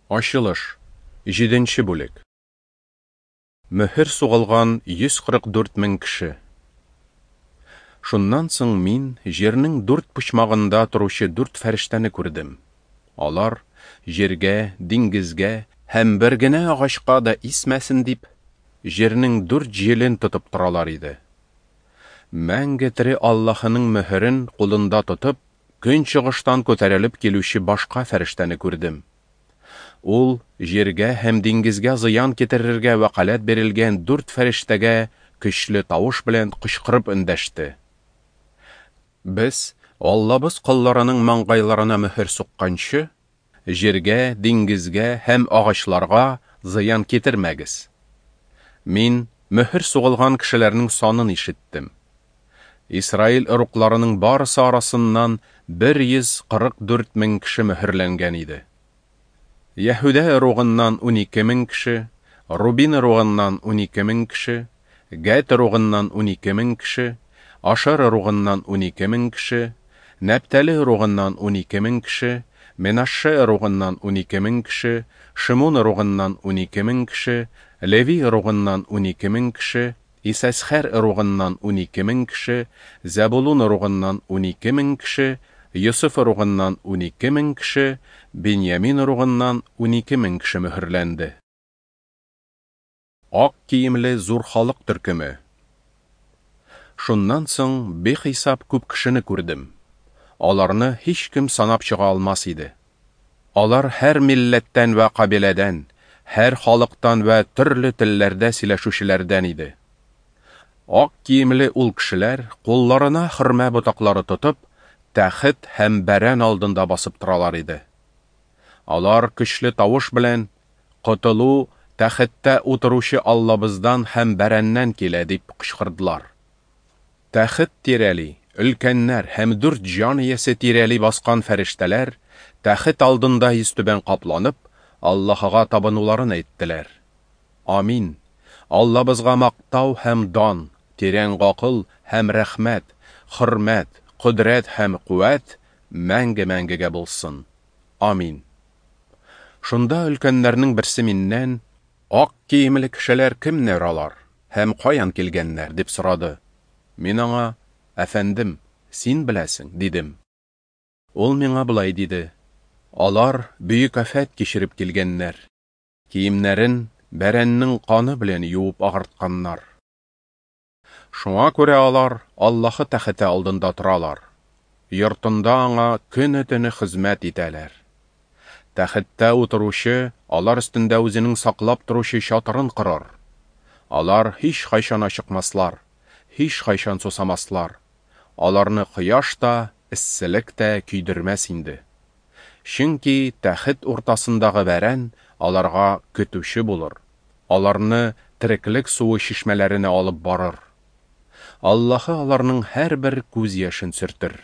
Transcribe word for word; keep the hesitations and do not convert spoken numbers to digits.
Ачылыш, җиденче бүлек. Мөһер сугылган йөз кырык дүрт мең кеше. Шуннан соң мин җирнең дүрт почмагында торучы дүрт фәрештәне күрдем. Алар, җиргә, диңгезгә һәм бер генә агачка да исмәсен дип, җирнең дүрт җилен тотып торалар иде. Мәңге тере Аллаһының мөһерен кулында тотып, көнчыгыштан күтәрелеп килүче башка фәрештәне күрдем. Ул җиргә һәм диңгезгә зыян китерергә вәкаләт бирелгән дүрт фәрештәгә көчле тавыш белән кычкырып эндәште. Без Аллабыз колларының маңгайларына мөһер сукканчы, җиргә, диңгезгә һәм агачларга зыян китермәгез. Мин мөһер сугылган кешеләрнең санын ишеттем. Исраил ыругларының барысы арасыннан бер йөз кырык дүрт мең кеше мөһерләнгән иде. Яһүдә ыругыннан унике мең кеше, Рубин ыругыннан унике мең кеше, Гәд ыругыннан унике мең кеше, Ашер ыругыннан унике мең кеше, Нәптәле ыругыннан унике мең кеше, Менашше ыругыннан унике мең кеше, Шимун ыругыннан унике мең кеше, Леви ыругыннан унике мең кеше, Исәсхәр ыругыннан унике мең кеше, Зәбулун ыругыннан унике мең кеше, Йосыф ыругыннан унике мең кеше, Беньямин ыругыннан унике мең кеше мөһерләнде. Ак киемле зур халык төркеме. Шуннан соң бихисап күп кешене күрдем. Аларны һичкем санап чыга алмас иде. Алар һәр милләттән вә кабиләдән, һәр халыктан вә төрле телләрдә сөйләшүчеләрдән иде. Ак киемле ул кешеләр кулларына хөрмә ботаклары тотып, тәхет һәм бәрән алдында басып торалар иде. Алар көчле тавыш белән: "Котылу тәхеттә утыручы Аллабыздан һәм бәрәннән килә", дип кычкырдылар. Тәхет тирәли өлкәннәр һәм дүрт җан иясе тирәли баскан фәрештәләр тәхет алдында йөзтүбән капланып, Аллаһыга табынуларын әйттеләр. Амин. Аллабызга мактау һәм дан, тирән гакыл һәм рәхмәт, хөрмәт, кодрәт һәм куәт мәңге-мәңгегә булсын. Амин. Шунда өлкәннәрнең берсе миннән: "Ак киемле кешеләр кемнәр алар һәм каян килгәннәр?" дип сорады. Мин аңа: "Әфәндем, син беләсең", дидем. Ул миңа болай диде: "Алар бөек афәт кичереп килгәннәр. Киемнәрен бәрәннең каны белән юып агартканнар. Шуңа күрә алар Аллаһы тәхете алдында торалар. Йортында аңа көне-төне хезмәт итәләр. Тәхеттә утыручы алар өстендә үзенең саклап торучы чатырын корыр. Алар һич кайчан ачыкмаслар, һич кайчан сусамаслар. Аларны кояш та, эсселек тә көйдермәс инде. Чөнки тәхет уртасындагы бәрән аларга көтүче булыр. Аларны тереклек суы чишмәләренә алып барыр. Аллаһы аларның һәрбер күз яшен сөртер.